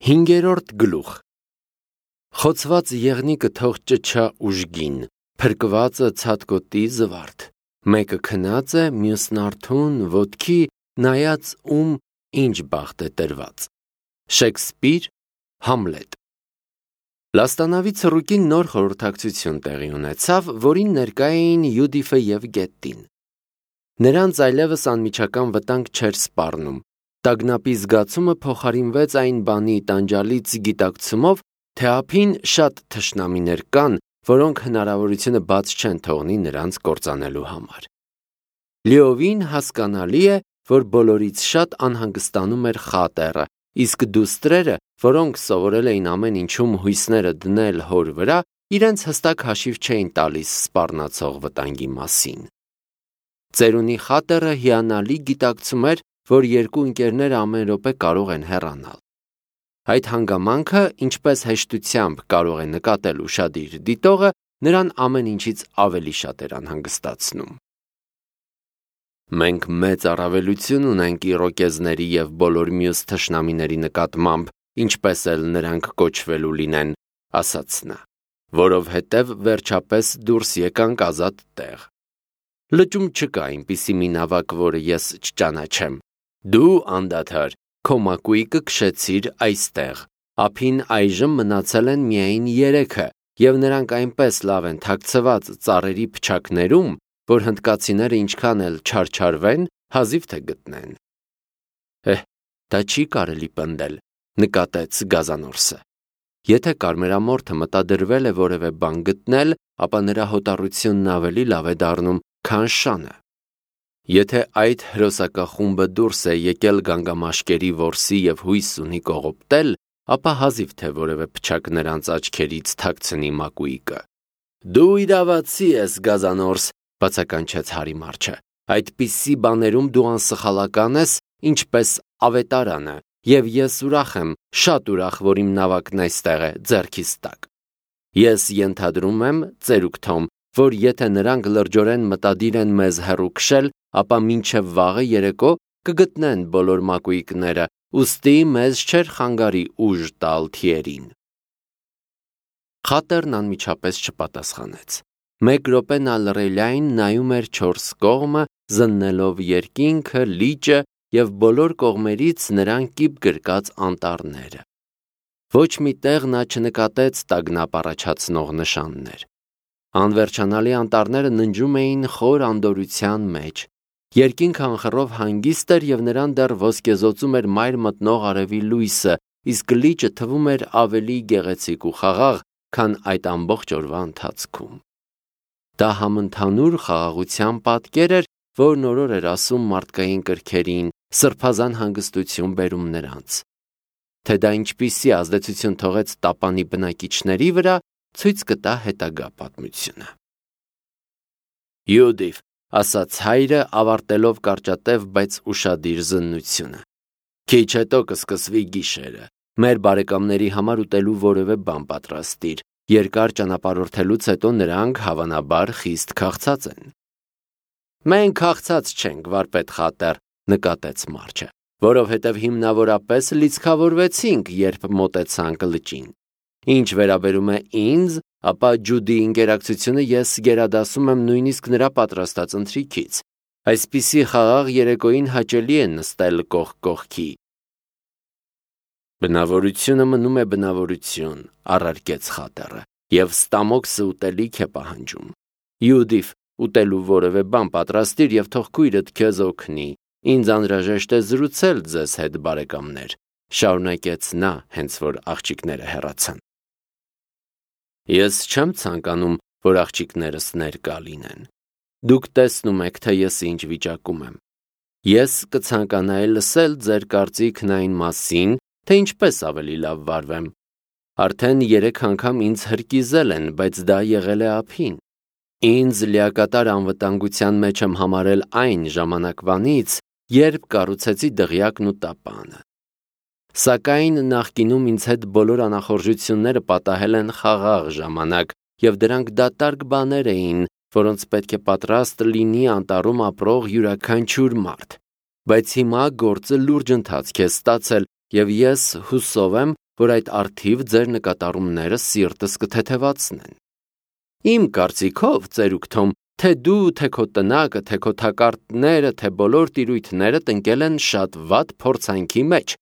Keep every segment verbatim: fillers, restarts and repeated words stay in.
Հինգերորդ գլուխ Խոցված եղնիկը թող ճչա ուժգին, փրկվածը ցատկոտի զվարթ, մեկը քնած է, մյուսն արթուն, ոտքի, նայած ում ինչ բախտ է տրված։ Շեքսպիր, Համլետ։ Լաստանավի ցռուկին նոր խորհրդակցություն տեղի ունեցավ, որին ներկա էին Յուդիֆը և Գետտին։ Նրանց այլևս անմիջական վտանգ չէր սպառնում։ Տագնապի զգացումը փոխարինվեց այն բանի տանջալից գիտակցումով, թե ափին շատ թշնամիներ կան, որոնք հնարավորությունը բաց չեն թողնի նրանց կործանելու համար։ Լիովին հասկանալի է, որ բոլորից շատ անհանգստանում էր Խատերը, իսկ դուստրերը, որոնք սովորել էին ամեն ինչում հույսները դնել հոր վրա, իրենց հստակ հաշիվ չէին տալիս սպառնացող վտանգի մասին։ Ծերունի Խատերը հիանալի գիտակցում էր, որ երկու ընկերները ամեն րոպե կարող են հեռանալ։ Այդ հանգամանքը, ինչպես հեշտությամբ կարող է նկատել ուշադիր դիտողը, նրան ամեն ինչից ավելի շատ էր անհանգստացնում։ Մենք մեծ առավելություն ունենք իրոկեզների և բոլոր մյուս թշնամիների նկատմամբ, ինչպես էլ նրանք կոչվելու լինեն, ասաց նա, որովհետև վերջապես դուրս եկանք ազատ տեղ։ Լճում չկա այնպիսի մի նավակ, որը ես չճանաչեմ։ Դու անդադար քո մակույկը քշեցիր այստեղ, ափին այժմ մնացել են միայն երեքը, և նրանք այնպես լավ են թաքցված ծառերի փչակներում, որ հնդկացիները ինչքան էլ չարչարվեն, հազիվ թե գտնեն։ Էհ, դա չի կարելի պնդել, նկատեց Գազանորսը։ Եթե կարմերամորթը մտադրվել է որևէ բան գտնել, ապա նրա հոտառությունն ավելի լավ է դառնում, քան շանը։ Եթե այդ հրոսակախումբը դուրս է եկել գանգամաշկերի որսի և հույս ունի կողոպտել, ապա հազիվ թե որևէ փչակ նրանց աչքերից թաքցնի մակույկը։ Դու իրավացի ես, Գազանորս, բացականչեց Հարի Մարչը։ Այդպիսի բաներում դու անսխալական ես, ինչպես ավետարանը, և ես ուրախ եմ, շատ ուրախ, որ իմ նավակն այստեղ է, ձեռքիս տակ։ Ես ենթադրում եմ, ծերուկ Թոմ, որ եթե նրանք լրջորեն մտադիր են մեզ հեռու քշել, ապա մինչև վաղը երեկո կգտնեն բոլոր մակույկները, ուստի մեզ չէր խանգարի ուժ տալ թիերին։ Խատերն անմիջապես չպատասխանեց։ Մեկ րոպե նա լռելիայն նայում էր չորս կողմը, զննելով երկինքը, լիճը և բոլոր կողմերից նրան կիպ գրկած անտառները։ Ոչ մի տեղ նա չնկատեց տագնապ առաջացնող նշաններ։ Անվերջանալի անտառները ննջում էին խոր անդորրության մեջ։ Երկինքը անխռով հանգիստ էր և նրան դեռ ոսկեզօծում էր մայր մտնող արևի լույսը, իսկ լիճը թվում էր ավելի գեղեցիկ ու խաղաղ, քան այդ ամբողջ օրվա ընթացքում։ Դա համընդհանուր խաղաղության պատկեր էր, որն օրոր էր ասում մարդկային կրքերին, սրբազան հանգստություն բերում նրանց։ Թե դա ինչպիսի ազդեցություն թողեց տապանի բնակիչների վրա, ցույց կտա հետագա պատմությունը։ Յուդիֆ, ասաց հայրը, ավարտելով կարճատև, բայց ուշադիր զննությունը։ Քիչ հետո կսկսվի գիշերը։ Մեր բարեկամների համար ուտելու որևէ բան պատրաստիր։ Երկար ճանապարհորդելուց հետո նրանք հավանաբար խիստ քաղցած են։ Մենք քաղցած չենք, վարպետ Խատեր, նկատեց Մարչը, որովհետև հիմնավորապես լիցքավորվեցինք, երբ մոտեցանք լճին։ Ինչ վերաբերում է ինձ, ապա Ջուդի ինկերակցությունը ես գերադասում եմ նույնիսկ նրա պատրաստած ընթրիքից։ Այսպիսի խաղաղ երեկոյին հաճելի է նստել կողք կողքի։ Բնավորությունը մնում է բնավորություն, առարկեց Խատերը, և ստամոքսը ուտելիք է պահանջում։ Յուդիֆ, ուտելու որևէ բան պատրաստիր և թող քույրդ քեզ օգնի։ Ինձ անհրաժեշտ է զրուցել ձեզ հետ, բարեկամներ, շարունակեց նա, հենց որ աղջիկները հեռացան։ Ես չեմ ցանկանում, որ աղջիկներս ներկա լինեն։ Դուք տեսնում եք, թե ես ինչ վիճակում եմ։ Ես կցանկանայի լսել ձեր կարծիքն այն մասին, թե ինչպես ավելի լավ վարվեմ։ Արդեն երեք անգամ ինձ հրկիզել են, բայց դա եղել է ափին։ Ինձ լիակատար անվտանգության մեջ եմ համարել այն ժամանակվանից, երբ կառուցեցի դղյակն ու տապանը։ Սակայն նախկինում ինձ հետ բոլոր անախորժությունները պատահել են խաղաղ ժամանակ, և դրանք դատարկ բաներ էին, որոնց պետք է պատրաստ լինի անտառում ապրող յուրաքանչյուր մարդ։ Բայց հիմա գործը լուրջ ընթացք է ստացել, և ես հուսով եմ, որ այդ արդիվ ձեր նկատառումները սիրտս կթեթևացնեն։ Իմ կարծիքով, ծերուկ Թոմ, թե դու, թե քո տնակը, թե քո թակարդները, թե բոլոր տիրույթներդ ընկել են շատ վատ փորձանքի մեջ,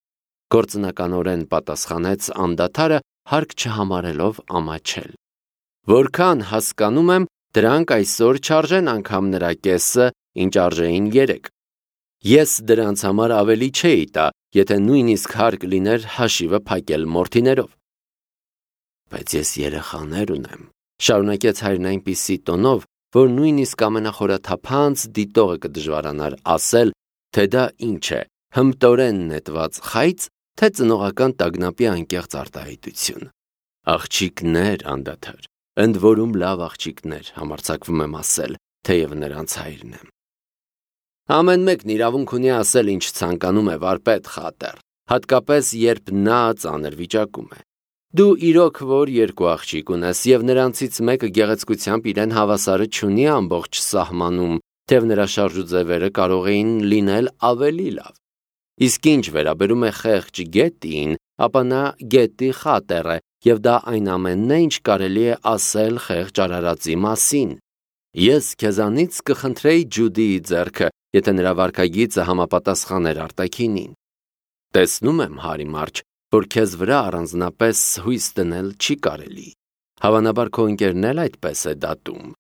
գործնականորեն պատասխանեց անդադարը, հարկ չհամարելով ամաչել։ Որքան հասկանում եմ, դրանք այսօր չարժեն անգամ նրա կեսը, ինչ արժեին երեկ։ Ես դրանց համար ավելի չէի տա, եթե նույնիսկ հարկ լիներ հաշիվը փակել մորթիներով։ Բայց ես երեխաներ ունեմ, շարունակեց հայրն այնպիսի տոնով, որ նույնիսկ ամենախորաթափանց դիտողը կդժվարանար ասել, թե դա ինչ է, հմտորեն նետված խայծ, թե ծնողական տագնապի անկեղծ արտահայտություն։ Աղջիկներ անդադար, ընդ որում լավ աղջիկներ, համարձակվում եմ ասել, թեև նրանց հայրն եմ։ Ամեն մեկն իրավունք ունի ասել, ինչ ցանկանում է, վարպետ Խատեր, հատկապես երբ նա ծանր վիճակում է։ Դու իրոք որ երկու աղջիկ ունես, եւ նրանցից մեկը գեղեցկությամբ իրեն հավասարը չունի ամբողջ սահմանում, թեև նրա շարժուձևերը կարող էին լինել ավելի լավ։ Իսկ ինչ վերաբերում է խեղճ Գետին, ապա նա Գետի Խատեր է, եւ դա այն ամենն է, ինչ կարելի է ասել խեղճ արարածի մասին։ Ես քեզանից կխնդրեի Ջուդիի ձեռքը, եթե նրա վարքագիծը համապատասխաներ արտաքինին։ Տեսնում եմ, Հարի Մարջ, որ քեզ վրա առանձնապես հույս դնել չի կարելի։ Հավանաբար քո ընկերն էլ այդպես է դատում։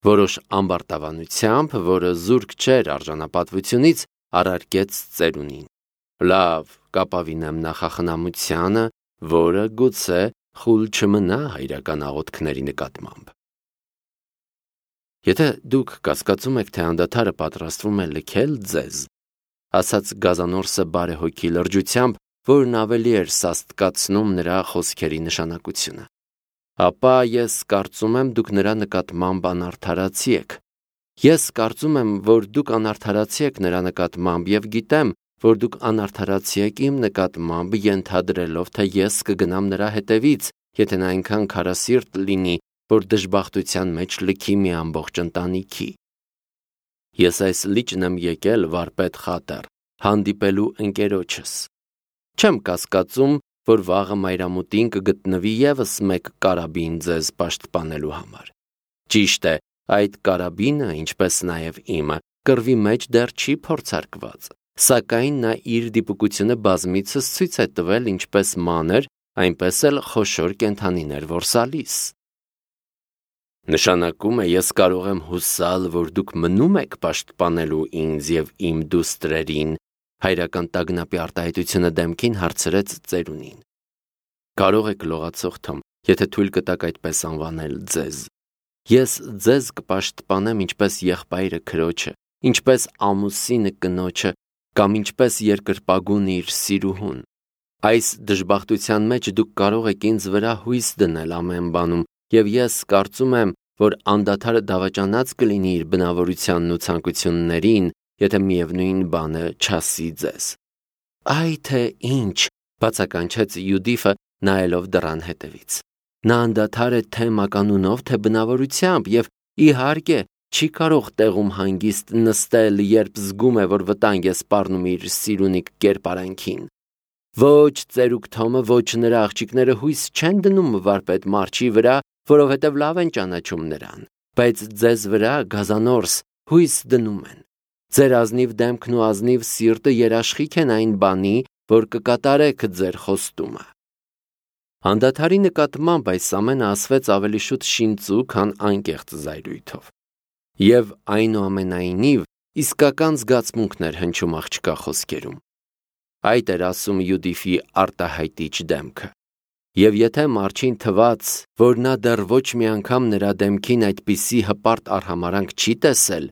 Որոշ ամբարտավանությամբ, որը զուրկ չէր արժանապատվությունից, առարկեց ծերունին։ Լավ, կապավինեմ նախախնամությանը, որը գուցե խուլ չմնա հայրական աղոթքների նկատմամբ։ Եթե դուք կասկածում եք, թե անդադարը պատրաստվում է լքել ձեզ, ասաց Գազանորսը բարեհոգի լրջությամբ, որն ավելի էր սաստկացնում նրա խոսքերի նշանակությունը, ապա ես կարծում եմ դուք նրա նկատմամբ անարդարացի եք։ Ես կարծում եմ, որ դուք անարդարացի եք նրա նկատմամբ եւ գիտեմ, որ դուք անարդարացի եք իմ նկատմամբ, ենթադրելով, թե ես կգնամ նրա հետևից, եթե նա այնքան քարասիրտ լինի, որ դժբախտության մեջ լքի մի ամբողջ ընտանիքի։ Ես այս լիճն եմ եկել, վարպետ Խատեր, հանդիպելու ընկերոջս։ Չեմ կասկածում, որ վաղը մայրամուտին կգտնվի եւս մեկ կարաբին ձեզ պաշտպանելու համար։ Ճիշտ է, այդ կարաբինը, ինչպես նաև իմը, կռվի մեջ դեռ չի փորձարկված, սակայն նա իր դիպուկությունը բազմիցս ցույց է տվել ինչպես մանր, այնպես էլ խոշոր կենդանիներ որսալիս։ Նշանակում է, ես կարող եմ հուսալ, որ դուք մնում եք պաշտպանելու ինձ եւ իմ դուստրերին, հայրական տագնապի արտահայտությունը դեմքին հարցրեց ծերունին։ Կարող եք լողացող Թոմ, եթե թույլ կտաք այդպես անվանել ձեզ։ Ես ձեզ կպաշտպանեմ ինչպես եղբայրը քրոջը, ինչպես ամուսինը կնոջը, կամ ինչպես երկրպագունը իր սիրուհուն։ Այս դժբախտության մեջ դուք կարող եք ինձ վրա հույս դնել ամեն բանում, եւ ես կարծում եմ, որ անդադարը դավաճանած կլինի իր բնավորությանն ու ցանկություններին, եթե միևնույն բանը չասի ձեզ։ Այ թե ինչ, բացականչեց Յուդիֆը, նայելով դռան հետևից։ Նա անդադար է թե մականունով, թե բնավորությամբ, եւ իհարկե չի կարող տեղում հանգիստ նստել, երբ զգում է, որ վտանգ է սպառնում իր սիրունիկ կերպարանքին։ Ոչ ծերուկ Թոմը, ոչ նրա աղջիկները հույս չեն դնում վարպետ Մարչի վրա, որովհետև լավ են ճանաչում նրան, բայց ձեզ վրա, Գազանորս, հույս դնում են։ Ձեր ազնիվ դեմքն ու ազնիվ սիրտը երաշխիք են այն բանի, որ կկատարեք ձեր խոստումը։ Անդադարի նկատմամբ այս ամենը ասվեց ավելի շուտ շինծու, քան անկեղծ զայրույթով։ Եվ այնուամենայնիվ իսկական զգացմունքներ հնչում աղջկա խոսքերում։ Այդ էր ասում Յուդիֆի արտահայտիչ դեմքը։ Եվ եթե Մարչին թվաց, որ նա դեռ ոչ մի անգամ նրա դեմքին այդպիսի հպարտ արհամարանք չի տեսել,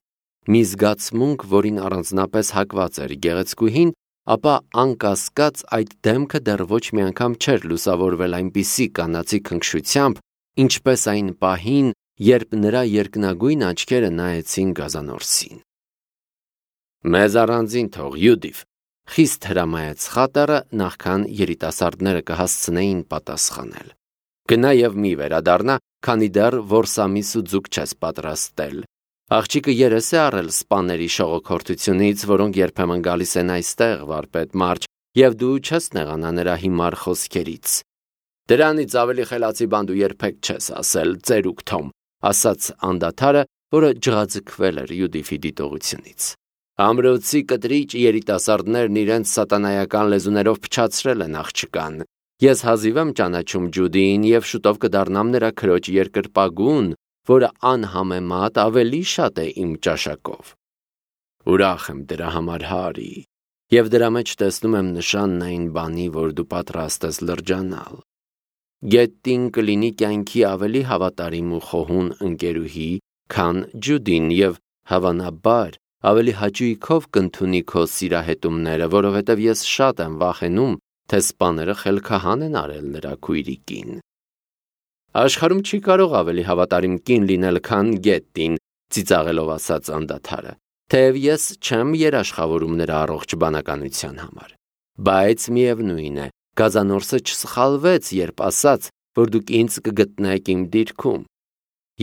մի զգացմունք, որին առանձնապես հակված էր գեղեցկուհին, ապա անկասկած այդ դեմքը դեռ ոչ մի անգամ չէր լուսավորվել այնպիսի կանացի քնքշությամբ, ինչպես այն պահին, երբ նրա երկնագույն աչքերը նայեցին Գազանորսին։ Մեզ առանձին թող, Յուդիֆ, խիստ հրամայեց Խատերը, նախքան երիտասարդները կհասցնեին պատասխանել։ Գնա եւ մի վերադառնա, քանի դեռ որսամիս ու ձուկ չես պատրաստել։ Աղջիկը երես է առել սպաների շողոքորթությունից, որոնք երբեմն գալիս են այստեղ, վարպետ Մարչ, և դու չես նեղանա նրա հիմար խոսքերից։ Դրանից ավելի խելացի բան դու երբեք չես ասել, ծերուկ Թոմ, ասաց անդադարը, որը ջղաձգվել էր Յուդիֆի դիտողությունից։ Ամրոցի կտրիչ երիտասարդներն իրենց սատանայական լեզուներով փչացրել են աղջկան։ Ես հազիվ եմ ճանաչում Ջուդիին և շուտով կդառնամ նրա քրոջ երկրպագուն, որը անհամեմատ ավելի շատ է իմ ճաշակով։ Ուրախ եմ դրա համար, Հարի, և դրա մեջ տեսնում եմ նշանն այն բանի, որ դու պատրաստ ես լրջանալ։ Գետտին կլինի կյանքի ավելի հավատարիմ ու խոհուն ընկերուհի, քան Ջուդին և հավանաբար ավելի հաճույքով կընդունի քո սիրահետումները, որովհետև ես շատ եմ վախենում, թե սպաները խելքահան են արել նրա քույրիկին։ Աշխարհում չի կարող ավելի հավատարիմ կին լինել, քան Գետտին, ծիծաղելով ասաց անդադարը, թեև ես չեմ երաշխավորում նրա առողջ բանականության համար։ Բայց միևնույն է, գազանորսը չսխալվեց, երբ ասաց, որ դուք ինձ կգտնեք իմ դիրքում։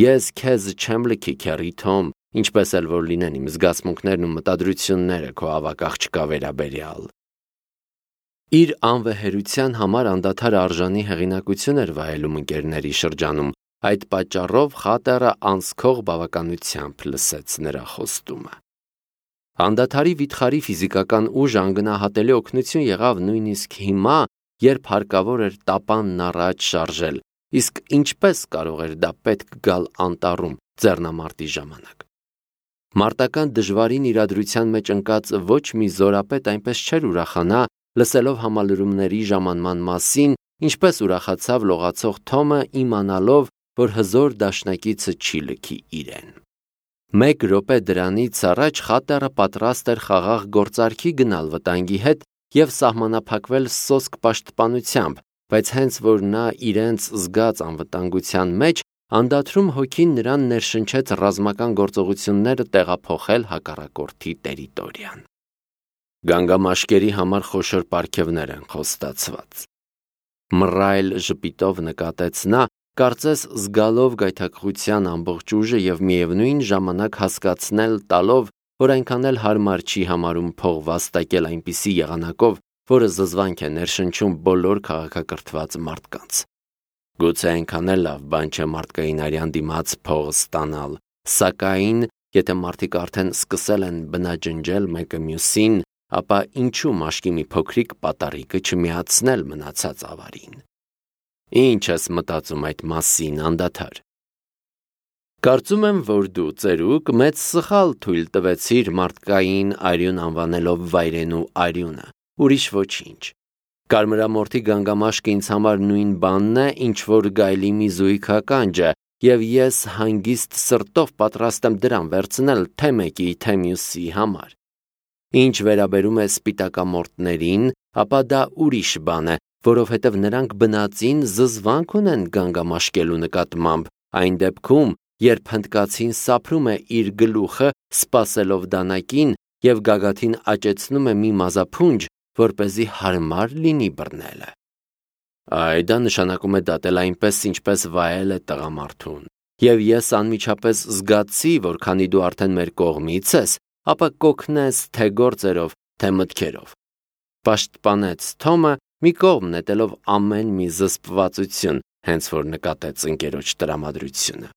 Ես քեզ չեմ լքի, քեռի Թոմ, ինչպես էլ որ լինեն իմ զգացմունքներն ու մտադրությունները քո ավագ աղջկա վերաբերյալ։ Իր անվեհերության համար անդադար արժանի հեղինակություն էր վայելում ընկերների շրջանում, այդ պատճառով խատերը անսքող բավականությամբ լսեց նրա խոստումը։ Անդադարի վիթխարի ֆիզիկական ուժը անգնահատելի օգնություն եղավ նույնիսկ հիմա, երբ հարկավոր էր տապանն առաջ շարժել, իսկ ինչպես կարող էր դա պետք գալ անտառում ձեռնամարտի ժամանակ։ Մարտական դժվարին իրադրության մեջ ընկած ոչ մի զորապետ այնպես չէր ուրախանա, լսելով համալրումների ժամանման մասին, ինչպես ուրախացավ լողացող Թոմը իմանալով, որ հզոր դաշնակիցը չի լքի իրեն։ Մեկ րոպե դրանից առաջ խատերը պատրաստ էր խաղաղ գործարքի գնալ վտանգի հետ և սահմանափակվել սոսկ պաշտպանությամբ, բայց հենց որ նա իրենց զգաց անվտանգության մեջ, անդադրում հոգին նրան ներշնչեց ռազմական գործողությունները տեղափոխել հակառակորդի տերիտորիան։ Գանգամաշկերի համար խոշոր պարգևներ են խոստացված։ Մռայլ ժպիտով նկատեց նա, կարծես զգալով գայթակղության ամբողջ ուժը և միևնույն ժամանակ հասկացնել տալով, որ այնքան էլ հարմար չի համարում փող վաստակել այնպիսի եղանակով, որը զզվանք է ներշնչում բոլոր քաղաքակրթված մարդկանց։ Գուցե այնքան էլ լավ բան չէ մարդկային արյան դիմաց փող ստանալ, սակայն եթե մարդիկ արդեն սկսել են բնաջնջել մեկը մյուսին, ապա ինչու մաշկի մի փոքրիկ պատարիկը չմիացնել մնացած ավարին։ Ինչ ես մտածում այդ մասին, անդադար։ Կարծում եմ, որ դու, ծերուկ, մեծ սխալ թույլ տվեցիր մարդկային արյուն անվանելով վայրենու արյունը, ուրիշ ոչինչ։ Կարմրամորթի գանգամաշկը ինձ համար նույն բանն է, ինչ որ գայլի մի զույգ ականջը, և ես հանգիստ սրտով պատրաստ եմ դրան վերցնել թե մեկի, թե մյուսի համար։ Ինչ վերաբերում է սպիտակամորթներին, ապա դա ուրիշ բան է, որովհետև նրանք բնածին զզվանք ունեն գանգամաշկելու նկատմամբ, այն դեպքում, երբ հնդկացին սափրում է իր գլուխը, սպասելով դանակին և գագաթին աճեցնում է մի մազափունջ, որպեսզի հարմար լինի բռնելը։ Այ դա նշանակում է դատել այնպես, ինչպես վայել է տղամարդուն, և ես անմիջապես զգացի, որ քանի դու արդեն մեր կողմից ես, ապա կօգնես թե գործերով, թե մտքերով։ Պաշտպանեց Թոմը, մի կողմ նետելով ամեն մի զսպվածություն, հենց որ նկատեց ընկերոջ տրամադրությունը։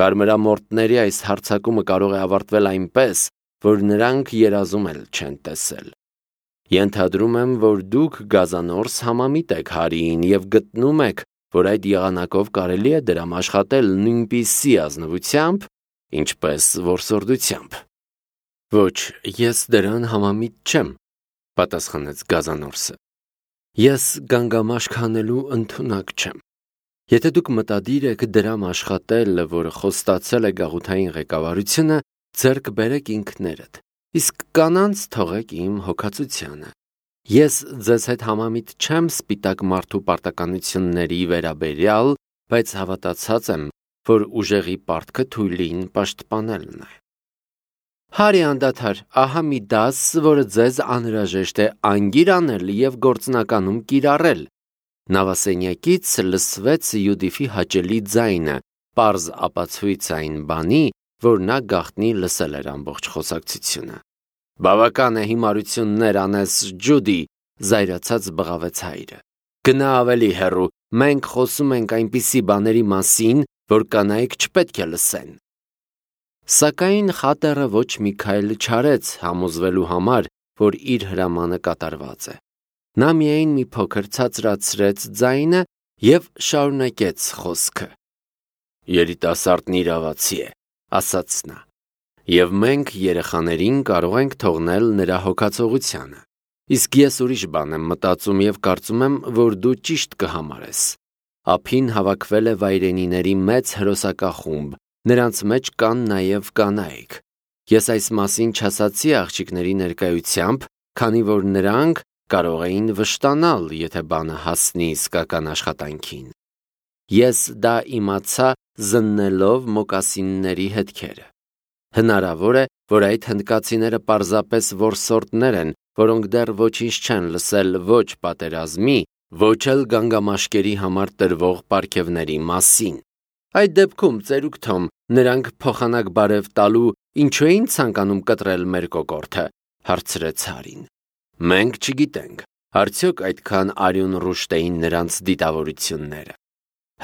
Կարմրամորթների այս հարձակումը կարող է ավարտվել այնպես, որ նրանք երազում էլ չեն տեսել։ Ենթադրում եմ, որ դուք գազանորս համամիտ եք Հարիին և գտնում եք, որ այդ եղանակով կարելի է դրամ աշխատել նույնպիսի ազնվությամբ, ինչպես որսորդությամբ։ Ոչ, ես դրան համամիտ չեմ, պատասխանեց գազանորսը։ Ես գանգամաշկ հանելու ընդունակ չեմ։ Եթե դուք մտադիր եք դրամ աշխատել, որը խոստացել է գաղութային ղեկավարությունը, ձեռք բերեք ինքներդ, իսկ կանանց թողեք իմ հոգացությանը։ Ես ձեզ հետ համամիտ չեմ սպիտակ մարդու պարտականությունների վերաբերյալ, բայց հավատացած եմ, որ ուժեղի պարտքը թույլին պաշտպանելն է։ Հարի անդադար, ահա մի դաս, որը ձեզ անհրաժեշտ է անգիր անել և գործնականում կիրառել։ Նավասենյակից լսվեց Յուդիֆի հաճելի ձայնը, պարզ ապացույց այն բանի, որ նա գաղտնի լսել էր ամբողջ խոսակցությունը։ Բավական է հիմարություններ անես, Ջուդի, զայրացած բղավեց հայրը։ Գնա ավելի հեռու, մենք խոսում ենք այնպիսի բաների մասին, որ կանայք չպետք է լսեն։ Սակայն խատերը ոչ մի քայլ չարեց համոզվելու համար, որ իր հրամանը կատարված է։ Նա միայն մի փոքր ցածրացրեց ձայնը և շարունակեց խոսքը։ Երիտասարդն իրավացի է, ասաց նա, և մենք երեխաներին կարող ենք թողնել նրա հոգացողությանը։ Իսկ ես ուրիշ բան եմ մտածում և կարծում եմ, որ դու ճիշտ կհամարես։ Ափին հավաքվել է վայրենիների մեծ հրոսակախումբ, նրանց մեջ կան նաև կանայք։ Ես այս մասին չասացի աղջիկների ներկայությամբ, քանի որ նրանք կարող էին վշտանալ, եթե բանը հասնի իսկական աշխատանքին։ Ես դա իմացա զննելով մոկասինների հետքերը։ Հնարավոր է, որ այդ հնդկացիները պարզապես որսորդներ են, որոնք դեռ ոչինչ չեն լսել ոչ պատերազմի, ոչ էլ գանգամաշկերի համար տրվող պարգևների մասին։ Այդ դեպքում, ծերուկ Թոմ, նրանք փոխանակ բարև տալու ինչու էին ցանկանում կտրել մեր կոկորդը, հարցրեց Հարին։ Մենք չգիտենք, արդյոք այդքան արյունռուշտ էին նրանց դիտավորությունները։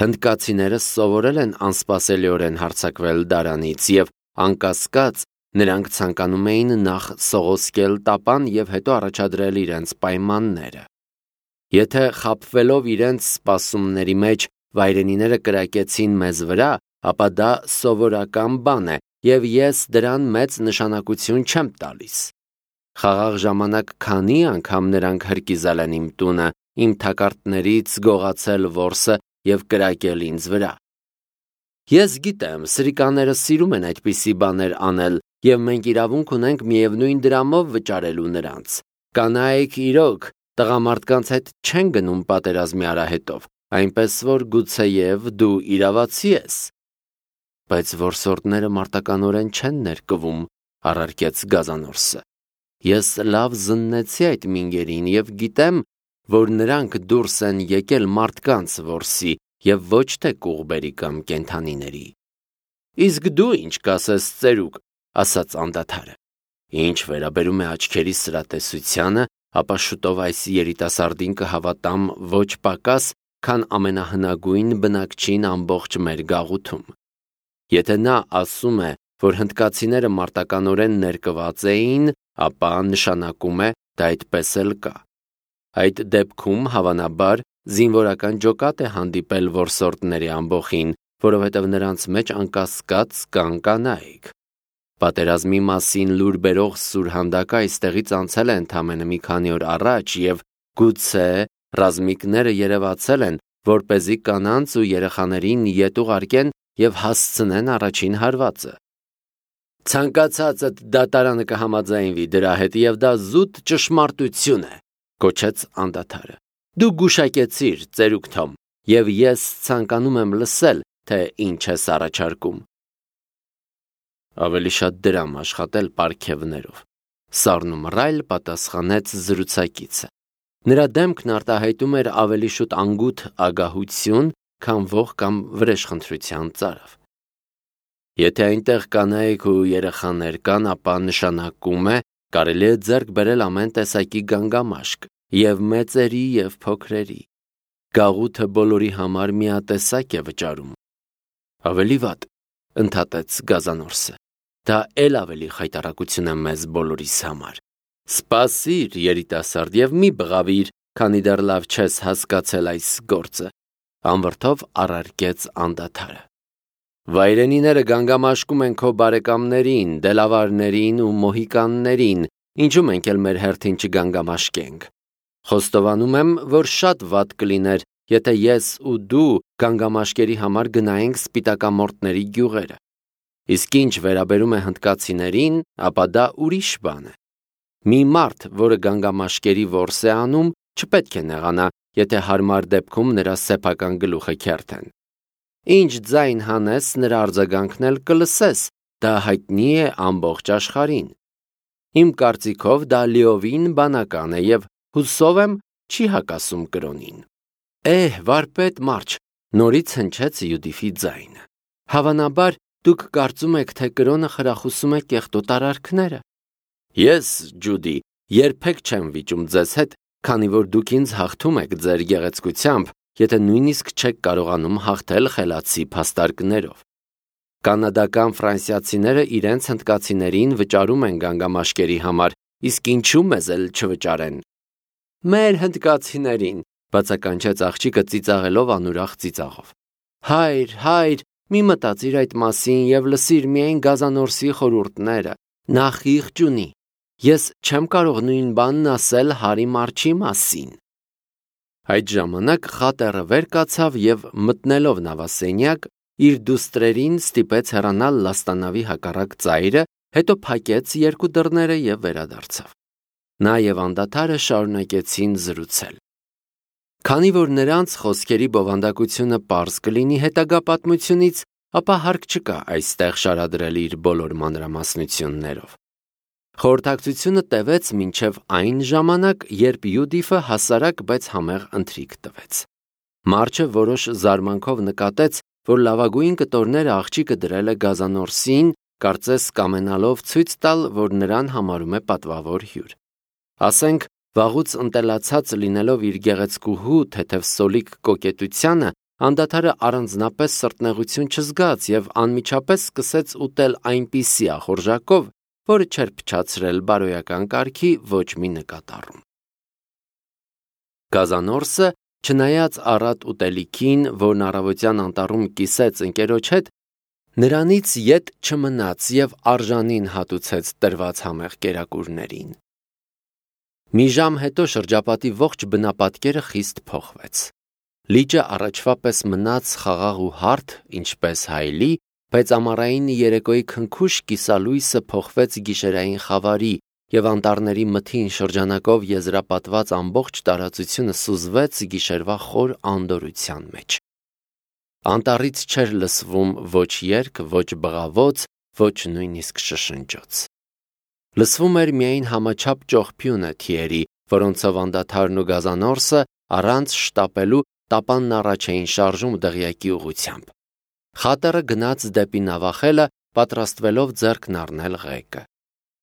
Հնդկացիները սովորել են անսպասելիորեն հարձակվել դարանից և անկասկած նրանք ցանկանում էին նախ սողոսկել տապան և հետո առաջադրել իրենց պայմանները։ Եթե խաբվելով իրենց սպասումների մեջ վայրենիները կրակեցին մեզ վրա, ապա դա սովորական բան է և ես դրան մեծ նշանակություն չեմ տալիս։ Խաղաղ ժամանակ քանի անգամ նրանք հրկիզել են իմ տունը, իմ թակարդներից գողացել որսը և կրակել ինձ վրա։ Ես գիտեմ, սրիկաները սիրում են այդպիսի բաներ անել, և մենք իրավունք ունենք միևնույն դրամով վճարելու նրանց։ Կանայք իրոք տղամարդկանց հետ չեն գնում պատերազմի արահետով, այնպես որ գուցեև դու իրավացի ես։ Բայց որսորդները մարտականորեն չեն ներկվում, առարկեց Գազանորսը։ Ես լավ զննեցի այդ մինգերին և գիտեմ, որ նրանք դուրս են եկել մարդկանց որսի և ոչ թե կուղբերի կամ կենդանիների։ Իսկ դու ինչ կասես, ծերուկ, ասաց անդադարը։ Ինչ վերաբերում է աչքերի սրատեսությանը, ապա շուտով այս երիտասարդին կհավատամ ոչ պակաս, քան ամենահնագույն բնակչին ամբողջ մեր գաղութում։ Եթե նա ասում է, որ հնդկացիները մարտականորեն ներկված էին, ապա նշանակում է դա այդպես էլ կա։ Այդ դեպքում, հավանաբար, զինվորական ջոկատ է հանդիպել որսորդների ամբոխին, որովհետև նրանց մեջ անկասկած կան կանայք։ Պատերազմի մասին լուր բերող սուրհանդակը այստեղից անցել է ընդամենը մի քանի օր առաջ և գուցե ռազմիկները երևացել են, որպեսզի կանանց ու երեխաներին ետ ուղարկեն և հասցնեն առաջին հարվածը։ Ցանկացածդ դատարանը կհամաձայնվի դրա հետ և դա զուտ ճշմարտություն է, կոչեց անդադարը։ Դու գուշակեցիր, ծերուկ Թոմ, և ես ցանկանում եմ լսել, թե ինչ ես առաջարկում։ Ավելի շատ դրամ աշխատել պարգևներով, սառնումռայլ պատասխանեց զրուցակիցը։ Նրա դեմքն արտահայտում էր ավելի շուտ անգութ ագահություն, քան ոխ կամ վրեժխնդրության ծարավ։ Եթե այնտեղ կանայք ու երեխաներ կան, ապա նշանակում է կարելի է ձեռք բերել ամեն տեսակի գանգամաշկ, և մեծերի, և փոքրերի։ Գաղութը բոլորի համար միատեսակ է վճարում։ Ավելի վատ, ընդհատեց Գազանորսը, դա էլ ավելի խայտառակություն է մեզ բոլորիս համար։ Սպասիր, երիտասարդ, և մի բղավիր, քանի դեռ լավ չես հասկացել այս գործը, անվրդով առարկեց անդադարը։ Վայրենիները գանգամաշկում են քո բարեկամներին, դելավարներին ու մոհիկաններին, ինչու մենք էլ մեր հերթին չգանգամաշկենք։ Խոստովանում եմ, որ շատ վատ կլիներ, եթե ես ու դու գանգամաշկերի համար գնայինք սպիտակամորտների գյուղերը։ Իսկ ինչ վերաբերում է հնդկացիներին, ապա դա ուրիշ բան է։ Մի մարդ, որը գանգամաշկերի որս է անում, չպետք է նեղանա, եթե հարմար դեպքում նրա սեփական գլուխը քերթեն։ Ինչ ձայն հանես, նրա արձագանքն էլ կլսես, դա հայտնի է ամբողջ աշխարհին։ Իմ կարծիքով դա լիովին բանական է և հուսով եմ չի հակասում կրոնին։ Էհ, վարպետ մարջ, նորից հնչեց Յուդիֆի ձայնը։ Հավանաբար դուք կարծում եք, թե կրոնը խրախուսում է կեղտոտ արարքները։ Ես, Ջուդի, երբեք չեմ վիճում ձեզ հետ, քանի որ դուք ինձ հաղթում եք ձեր գեղեցկությամբ, եթե նույնիսկ չեք կարողանում հաղթել խելացի փաստարկներով։ Կանադական ֆրանսիացիները իրենց հնդկացիներին վճարում են գանգամաշկերի համար, իսկ ինչու մեզ էլ չվճարեն։ Մեր հնդկացիներին, բացականչեց աղջիկը ծիծաղելով անուրախ ծիծաղով։ Հայր, հայր, մի մտածիր այդ մասին եւ լսիր միայն Գազանորսի խորհուրդները, նա խիղճ ունի։ Ես չեմ կարող նույն բանն ասել Հարի Մարչի մասին։ Այդ ժամանակ խատերը վեր կացավ եւ մտնելով նավասենյակ, իր դուստրերին ստիպեց հեռանալ լաստանավի հակառակ ծայրը, հետո փակեց երկու դռները եւ վերադարձավ։ Նա եւ անդադարը շարունակեցին զրուցել։ Քանի որ նրանց խոսքերի բովանդակությունը պարզ կլինի հետագա պատմությունից, ապա հարկ չկա այստեղ շարադրել իր բոլոր մանրամասնություններով։ Խորհրդակցությունը տևեց մինչև այն ժամանակ, երբ Յուդիֆը հասարակ, բայց համեղ ընթրիք տվեց։ Մարչը որոշ զարմանքով նկատեց, որ լավագույն կտորները աղջիկը դրել է Գազանորսին, կարծես կամենալով ցույց տալ, որ նրան համարում է պատվավոր հյուր։ Ասենք, վաղուց ընտելացած լինելով իր գեղեցկուհու թեթև սոլիկ կոկետությանը, անդադարը առանձնապես սրտնեղություն չզգաց եւ անմիջապես սկսեց ուտել այնպիսի ախորժակով, որը չէր փչացրել բարոյական կարգի ոչ մի նկատառում։ Գազանորսը, չնայած առատ ուտելիքին, որն առավոտյան անտառում կիսեց ընկերոջ հետ, նրանից ետ չմնաց եւ արժանին հատուցեց տրված համեղ կերակուրներին։ Մի ժամ հետո շրջապատի ողջ բնապատկերը խիստ փոխվեց։ Լիճը առաջվա պես մնաց խաղաղ ու հարթ, ինչպես հայլի, բայց ամառային երեկոյի քնքուշ կիսալույսը փոխվեց գիշերային խավարի եւ անտառների մթին շրջանակով եզրապատված ամբողջ տարածությունը սուզվեց գիշերվա խոր անդորրության մեջ։ Անտառից չէր լսվում ոչ երգ, ոչ բղավոց, ոչ նույնիսկ շշնջոց։ Լսվում էր միայն համաչափ ճողփյունը թիերի, որոնցով անդադարն ու Գազանորսը առանց շտապելու տապանն առաջ էին շարժում դղյակի ուղությամբ։ Խատերը գնաց դեպի նավախելը, պատրաստվելով ձեռքն առնել ղեկը։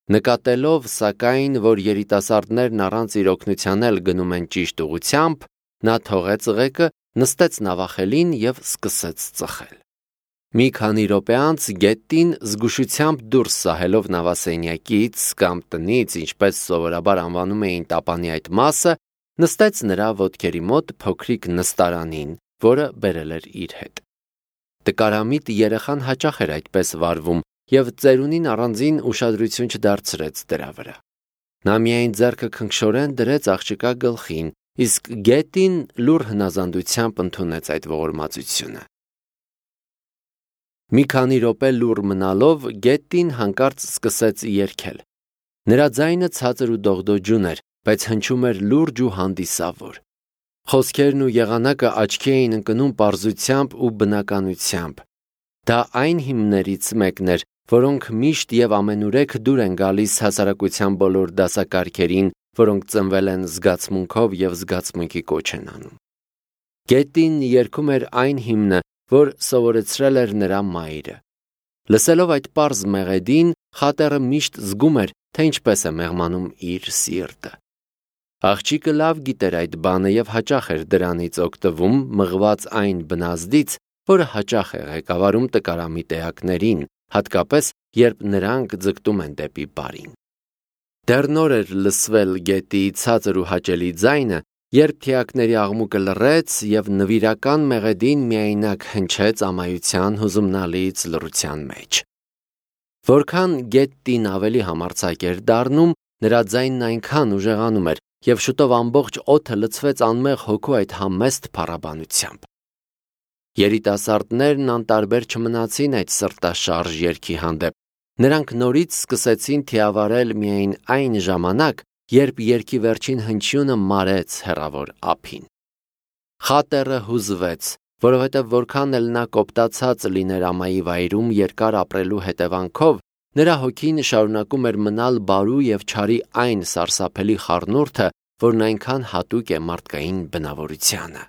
Նկատելով, սակայն, որ երիտասարդներն առանց իր օգնության էլ գնում են ճիշտ ուղությամբ, նա թողեց ղեկը, նստեց նավախելին եւ սկսեց ծխել։ Մի քանի րոպե անց գետին զգուշությամբ դուրս սահելով նավասենյակից կամ տնից, ինչպես սովորաբար անվանում էին տապանի այդ մասը, նստեց նրա ոտքերի մոտ փոքրիկ նստարանին, որը բերել էր իր հետ։ Տկարամիտ երեխան հաճախ էր այդպես վարվում եւ ծերունին առանձին ուշադրություն չդարձրեց դրա վրա։ Նա միայն ձեռքը քնքշորեն դրեց աղջկա գլխին, իսկ գետին լուռ հնազանդությամբ ընդունեց այդ ողորմածությունը։ Մի քանի րոպե լուռ մնալով գետին հանկարծ սկսեց երգել։ Նրա ձայնը ցածր ու դողդոջուն էր, բայց հնչում էր լուրջ ու հանդիսավոր։ Խոսքերն ու եղանակը աչքի էին ընկնում պարզությամբ ու բնականությամբ։ Դա այն հիմներից մեկն էր, որոնք միշտ եւ ամենուրեք դուր են գալիս հասարակության բոլոր դասակարգերին, որոնք ծնվել են զգացմունքով եւ զգացմունքի կոչ են անում։ Գետին երգում էր այն հիմնը, որ սովորեցրել էր նրա մայրը։ Լսելով այդ պարզ մեղեդին, խատերը միշտ զգում էր, թե ինչպես է մեղմանում իր սիրտը։ Աղջիկը լավ գիտեր այդ բանը եւ հաճախ էր դրանից օգտվում, մղված այն բնազդից, որը հաճախ է ղեկավարում տկարամիտ էակներին, հատկապես երբ նրանք ձգտում են դեպի բարին։ Դեռ նոր էր լսվել գետի ցածր ու հաճելի ձայնը, երբ թիակների աղմուկը լռեց եւ նվիրական մեղեդին միայնակ հնչեց ամայության հուզումնալից լռության մեջ։ Որքան գետին ավելի համարձակ էր դառնում, նրա ձայնն այնքան ուժեղանում էր եւ շուտով ամբողջ օդը լցվեց անմեղ հոգու այդ համեստ փառաբանությամբ։ Երիտասարդներն անտարբեր չմնացին այդ սրտաշարժ երգի հանդեպ։ Նրանք նորից սկսեցին թիավարել միայն այն ժամանակ, երբ երգի վերջին հնչյունը մարեց հեռավոր ափին։ Խատերը հուզվեց, որովհետև որքան էլ նա կոպտացած լիներ ամայի վայրում երկար ապրելու հետևանքով, նրա հոգին շարունակում էր մնալ բարու եւ չարի այն սարսափելի խառնուրդը, որն այնքան հատուկ է մարդկային բնավորությանը։